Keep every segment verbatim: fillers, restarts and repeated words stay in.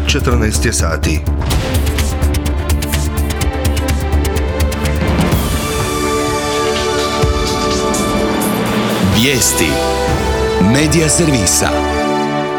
četrnaest je sati. Vijesti Medija servisa.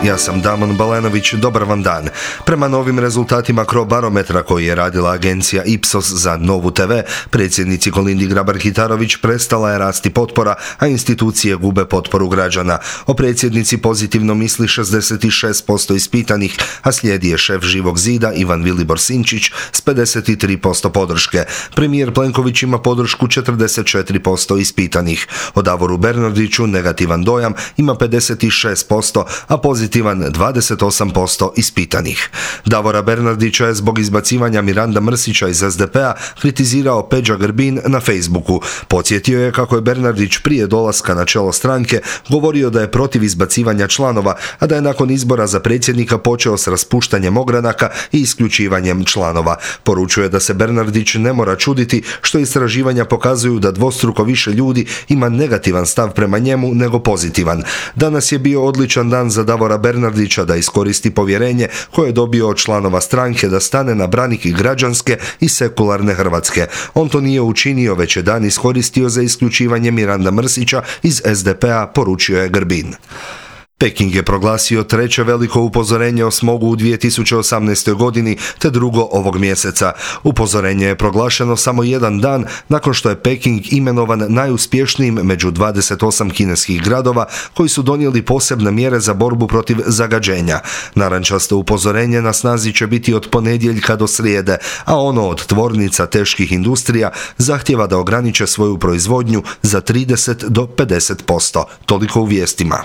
Ja sam Damon Balenović, dobar vam dan. Prema novim rezultatima Crobarometra koji je radila agencija Ipsos za Novu te ve, predsjednici Kolindi Grabar-Kitarović prestala je rasti potpora, a institucije gube potporu građana. O predsjednici pozitivno misli šezdeset šest posto ispitanih, a slijedi je šef Živog zida Ivan Vilibor Sinčić s pedeset tri posto podrške. Premijer Plenković ima podršku četrdeset četiri posto ispitanih. O Davoru Bernardiću negativan dojam ima pedeset šest posto, a pozitivan dvadeset osam posto ispitanih. Davora Bernardića je zbog izbacivanja Miranda Mrsića iz es de pe a kritizirao Peđa Grbin na Facebooku. Podsjetio je kako je Bernardić prije dolaska na čelo stranke govorio da je protiv izbacivanja članova, a da je nakon izbora za predsjednika počeo s raspuštanjem ogranaka i isključivanjem članova. Poručuje da se Bernardić ne mora čuditi što istraživanja pokazuju da dvostruko više ljudi ima negativan stav prema njemu nego pozitivan. Danas je bio odličan dan za Davora Bernardića da iskoristi povjerenje koje je dobio od članova stranke da stane na branik građanske i sekularne Hrvatske. On to nije učinio, već je dan iskoristio za isključivanje Miranda Mrsića iz es de pe a, poručio je Grbin. Peking je proglasio treće veliko upozorenje o smogu u dvije tisuće osamnaestoj godini te drugo ovog mjeseca. Upozorenje je proglašeno samo jedan dan nakon što je Peking imenovan najuspješnijim među dvadeset osam kineskih gradova koji su donijeli posebne mjere za borbu protiv zagađenja. Narančasto upozorenje na snazi će biti od ponedjeljka do srijede, a ono od tvornica teških industrija zahtjeva da ograniče svoju proizvodnju za trideset do pedeset posto. Toliko u vijestima.